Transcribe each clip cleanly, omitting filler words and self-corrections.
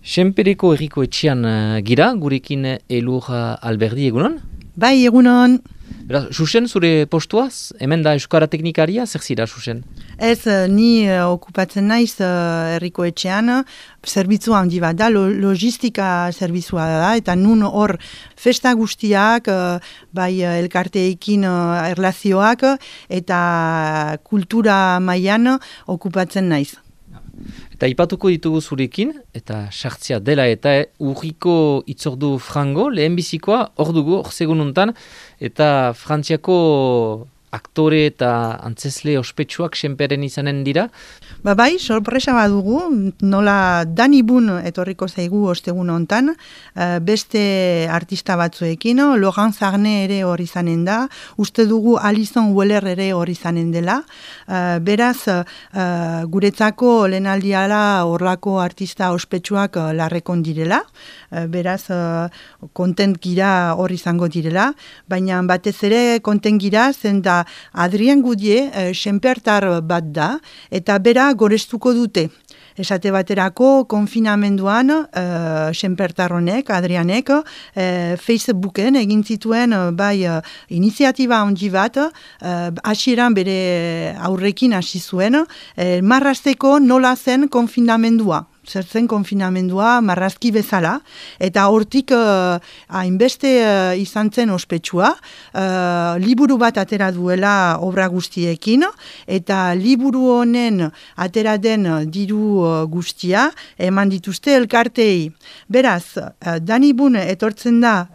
Senpereko herriko etxean gira, gurekin Elur Alberdi egunon? Bai, egunon. Beraz, Xuxen, zure postuaz? Hemen da Euskara Teknikaria, zer zira, Xuxen? Ez, ni okupatzen naiz herriko etxean, zerbitzu handi bat da, logistika zerbitzua da, eta nun hor festa guztiak, bai elkarteekin erlazioak, eta kultura mailan okupatzen naiz. Eta ipatuko ditugu zurekin, eta sartzea dela eta urriko itzordu frango, lehenbizikoa, hor dugu, hor segununtan, eta Frantziako aktore eta antzesle ospetsuak senperen izanen dira. Bai, sorpresa badugu, nola Dani Bun etorriko zaigu ostegun hontan, beste artista batzuekin, Laurent Zarne ere hor izanen da, uste dugu Alison Weller ere hor izanen dela, beraz, guretzako lehenaldiala horlako artista ospetsuak larrekon direla, beraz, kontent gira hor izango direla, baina batez ere kontent gira, zen da Adrien Goudier senpertar bat da, eta bera gorestuko dute. Esate baterako konfinamenduan senpertarronek, Adrianek, Facebooken egin zituen bai iniziatiba handi bat, hasieran bere aurrekin hasi zuen, marrazteko nola zen konfinamendua. Zer zen konfinamendua marrazki bezala, eta hortik hainbeste izan zen ospetsua, liburu bat atera duela obra guztiekin, eta liburu honen atera den diru guztia eman dituzte elkartei. Beraz, Dani Bun etortzen da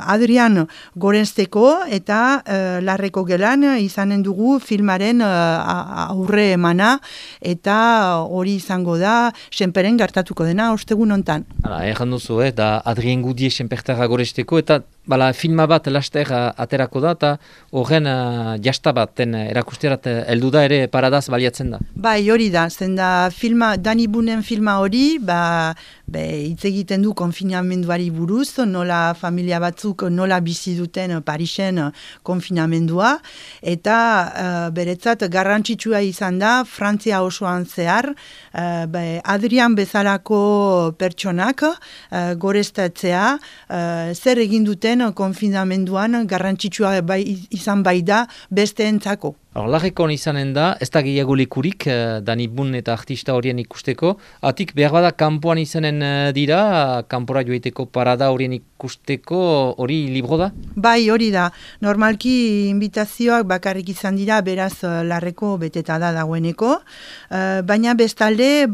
Adrian Gorensteko eta Larreko gelan izanen dugu filmaren aurre emana, eta hori izango da senperen gertatuko dena ostegun hontan. Hala, erran duzu, da Adrien Goudier senpertarra goresteko, eta filma bat laster aterako da, eta horren jasta baten erakusterat heldu da ere paradaz baliatzen da. Bai, hori da, zen da Dani Bunen filma hori, hitz egiten du konfinamenduari buruz, nola familia batzuk nola bizi duten Parisen konfinamendua, eta beretzat garrantzitsua izan da, Frantzia osoan zehar, Adrian bezalako pertsonak gorestatzea, zer egin duten konfinamenduan garrantzitsua izan bai da besteentzako. Larrekon izanen da, ez da gehiago lekurik, Dani Bun eta artista horien ikusteko, atik behar bada kanpoan izanen dira, kanpora joiteko parada horien ikusteko, hori libro da? Bai, hori da. Normalki invitazioak bakarrik izan dira, beraz Larreko beteta da dagoeneko, baina bestalde,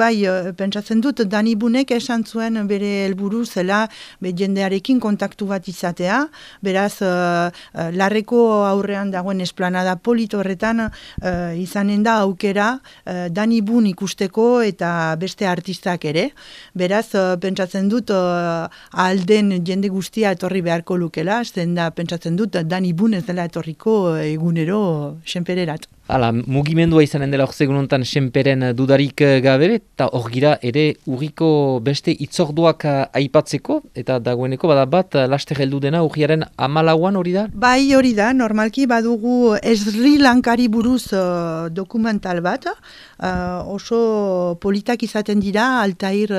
pentsatzen dut, Dani Bunek esan zuen bere helburu zela jendearekin kontaktu bat izatea, beraz Larreko aurrean dagoen esplanada polit horretan izanen da aukera Dani Bun ikusteko eta beste artistak ere. Beraz, pentsatzen dut alden jende guztia etorri beharko lukela, zen da pentsatzen dut Dani Bun ez dela etorriko egunero senpererat. Hala, mugimendua izanen dela orzegun honetan senperen dudarik gabe, eta hor gira ere urriko beste itzorduak aipatzeko, eta dagoeneko bada bat laster heldu dena urriaren 14 hori da? Bai, hori da, normalki badugu Sri Lankari buruz dokumental bat, oso politak izaten dira, Altair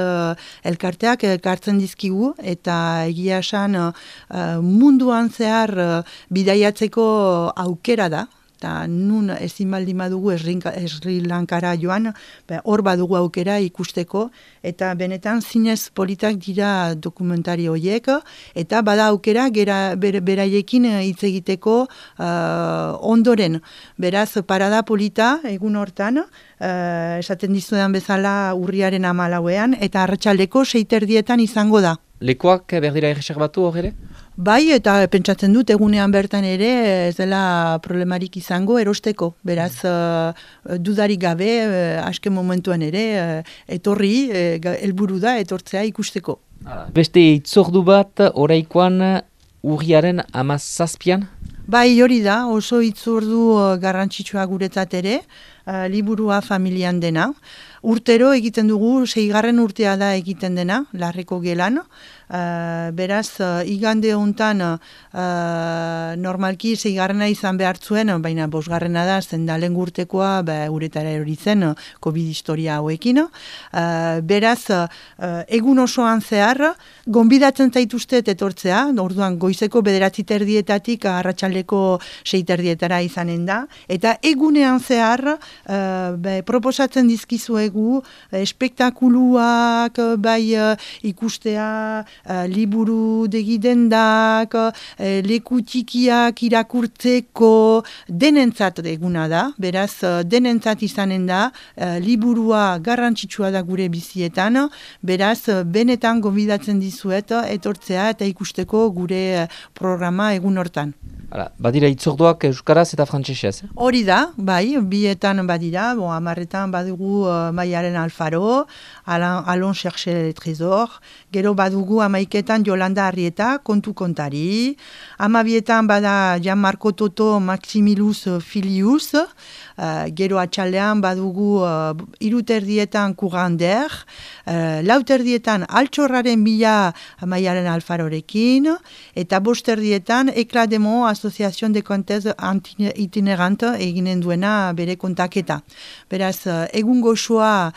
elkarteak elkartzen dizkigu, eta egia esan munduan zehar bidaiatzeko aukera da. Eta nun ezin baldin badugu Sri Lankara joan, hor badugu aukera ikusteko, eta benetan zinez politak dira dokumentari horiek, eta bada aukera beraiekin hitz egiteko ondoren. Beraz, parada polita egun hortan, esaten dizudan bezala urriaren 14ean, eta arratsaldeko 6:30 izango da. Lekuak berdira erreserbatu hor ere? Bai, eta pentsatzen dut egunean bertan ere ez dela problemarik izango erosteko. Beraz, dudarik gabe, azken momentuan ere, etorri, helburu da, etortzea ikusteko. Beste itzordu bat, oraikoan urriaren 17an? Bai, hori da, oso itzordu garrantzitsua guretzat ere, liburua familian dena. urtero egiten dugu, 6. urtea da egiten dena, Larreko Gelan. Beraz, igande hontan normalki 6. izan behar zuen, baina 5. da, zen da lehen urtekoa uretara erori zen COVID historia hauekin. Beraz, egun osoan zehar, gonbidatzen zaituztet etortzea, orduan goizeko 9:30 arratsaldeko 6:30 izanen da, eta egunean zehar proposatzen dizkizuegu espektakuluak, ikustea, liburu degidendak, leku txikiak irakurtzeko, denentzat eguna da, beraz denentzat izanen da, liburua garrantzitsua da gure bizietan, beraz benetan gonbidatzen dizuet etortzea eta ikusteko gure programa egun hortan. Badira itzorduak euskaraz eta frantsesez? Hori da, bai, bietan badira, 10etan badugu Maialen Alfaro, Allons chercher le trésor, gero badugu 11etan Yolanda Arrieta, kontu kontari, 12etan bada Gianmarco Toto Maximilus Filius, gero atxaldean badugu 3:30 Courander, 4:30 Altxorraren bila Maialen Alfarorekin, eta 5:30 Eclat de Mots, Association de Contes Itinerante eginen duena bere kontaketa. Beraz, egun goxoa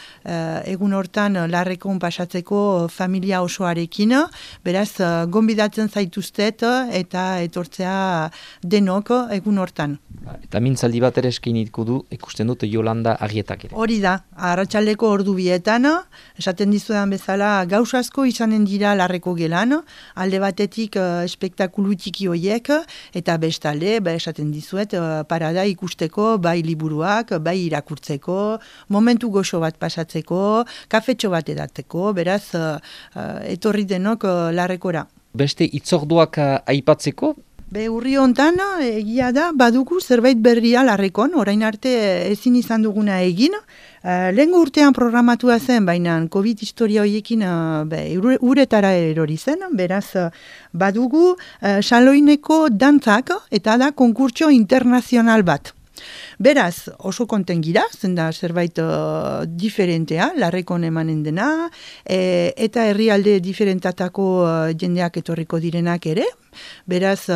egun hortan Larrekon pasatzeko familia osoarekin, beraz, gonbidatzen zaituztet eta etortzea denok egun hortan. Eta mintzaldi bat ere eskiniko du, ikusten dut Yolanda Arrietak ere. Hori da, arratsaldeko ordu 2etan, esaten dizudan bezala gauz asko izanen dira Larreko Gelan, alde batetik espektakulu txiki hoiek, eta bestalde, esaten dizuet, parada ikusteko, bai liburuak, bai irakurtzeko, momentu goxo bat pasatzeko, kafetxo bat edatzeko, beraz, etorri denok Larrekora. Beste itzorduak aipatzeko? Urri hontan, egia da, badugu zerbait berria Larrekon, orain arte ezin izan duguna egin. Lehengo urtean programatua zen, baina COVID historia horiekin uretara erori zen, beraz badugu Xaloineko dantzak eta da konkurtso internazional bat. Beraz, oso konten gira, zen da zerbait diferentea, Larrekon emanen dena, eta herrialde diferentatako jendeak etorriko direnak ere. Beraz,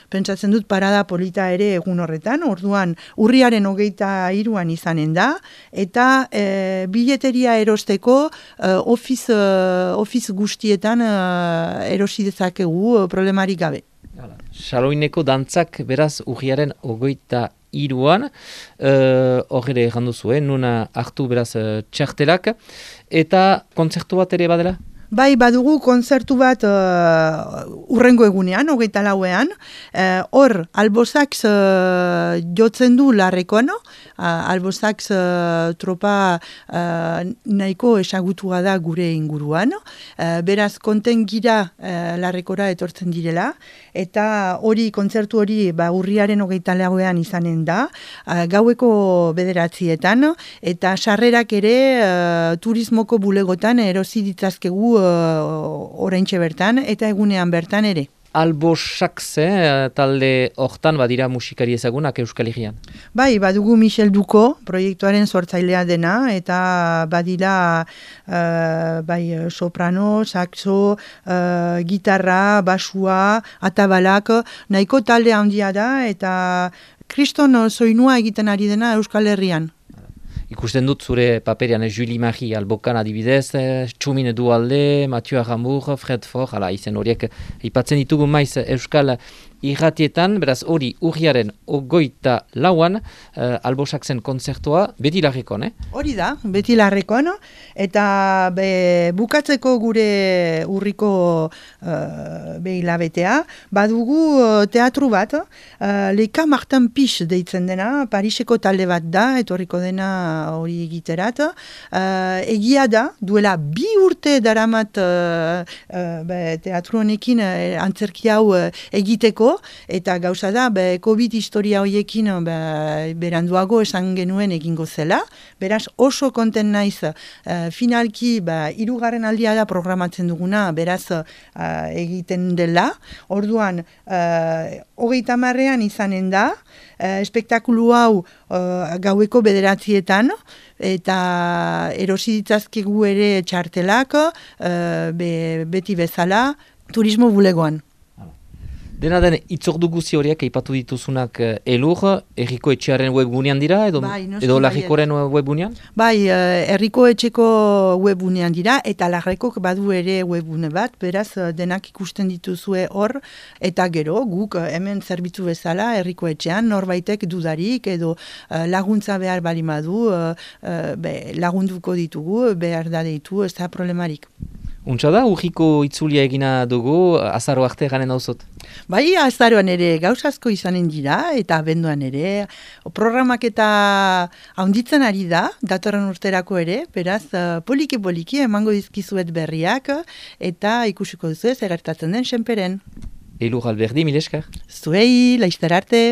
pentsatzen dut parada polita ere egun horretan, orduan urriaren 23 izanen da, eta bileteria erosteko office guztietan erosi dezakegu problemarik gabe. Xaloineko dantzak beraz urriaren 23an, hor ere errandu zuen, nuna hartu beraz txartelak, eta kontzertu bat ere badela? Bai, badugu kontzertu bat urrengo egunean, 24ean, hor Albosax jotzen du Larrekon, Albosax tropa nahiko esagutua da gure inguruan, beraz konten gira Larrekora etortzen direla, eta kontzertu hori urriaren 24ean izanen da, gaueko 9:00, eta sarrerak ere turismoko bulegotan erosi ditzazkegu oraintxe bertan eta egunean bertan ere. Albosax, talde hortan badira musikari ezagunak Euskal Herrian. Bai, badugu Michel Duko, proiektuaren sortzailea dena, eta badira soprano, saxo, gitarra, basua, atabalak, nahiko talde handia da, eta kriston soinua egiten ari dena Euskal Herrian. Ikusten dut zure paperian Julie Marie Albokan adibidez, Txumin Dualde, Mathieu Arambur, Fred Fort, izen horiek aipatzen ditugu maiz Euskal irratietan, beraz hori urriaren 24an Albosaxen kontzertua beti Larrekon, Hori da, beti Larrekon, eta bukatzeko gure urriko hilabetea, badugu teatru bat, Leka Martin Pix deitzen dena, Pariseko talde bat da, etorriko dena hori egiterat. Egia da, duela 2 urte daramat teatru honekin antzerki hau egiteko, eta gauza da, COVID historia horiekin beranduago esan genuen egingo zela. Beraz, oso konten naiz finalki 3. aldia da programatzen duguna, beraz egiten dela. Orduan, 30ean izanen da, espektakulu hau gaueko 9:00 eta erosi ditzazkegu ere txartelak beti bezala turismo bulegoan. Dena den, itzordu guzi horiek aipatu dituzunak elur, Herriko Etxearen webgunean dira, edo Larrikoren webgunean? Bai, Herriko Etxeko webgunean dira, eta Larrikok badu ere webgune bat, beraz denak ikusten dituzue hor, eta gero guk hemen zerbitzu bezala Herriko Etxean norbaitek dudarik, edo laguntza behar balimadu, lagunduko ditugu, behar da deitu, ez da problemarik. Untsa da, urriko itzulia egina dugu, azaro arte garen dauzot? Bai, azaroan ere gauzazko izanen dira, eta abenduan ere. Programak eta haunditzen ari da, datorren urterako ere, beraz, poliki-poliki emango dizkizuet berriak, eta ikusiko duzu ez egertatzen den senperen. Elur Alberdi, mil esker. Zuei, laizter arte.